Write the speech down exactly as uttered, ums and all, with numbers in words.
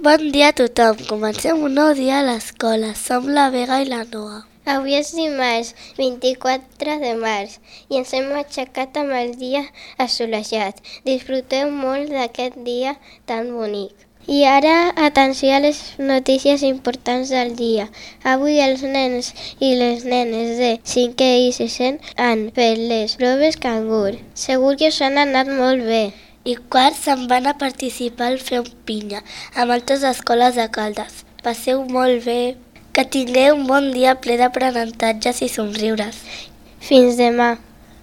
Bon dia a tothom. Comencem un nou dia a l'escola. Som la Vega i la Noa. Avui és dimarts, vint-i-quatre de març, i ens hem aixecat amb el dia assolellat. Disfruteu molt d'aquest dia tan bonic. I ara, atenció a les notícies importants del dia. Avui els nens i les nenes de cinquè i sisè han fet les proves cangur. Segur que us han anat molt bé. I quarts se'n van a participar al Fem Pinya, amb altres escoles de Caldes. Passeu molt bé. Que tingueu un bon dia ple d'aprenentatges i somriures. Fins demà.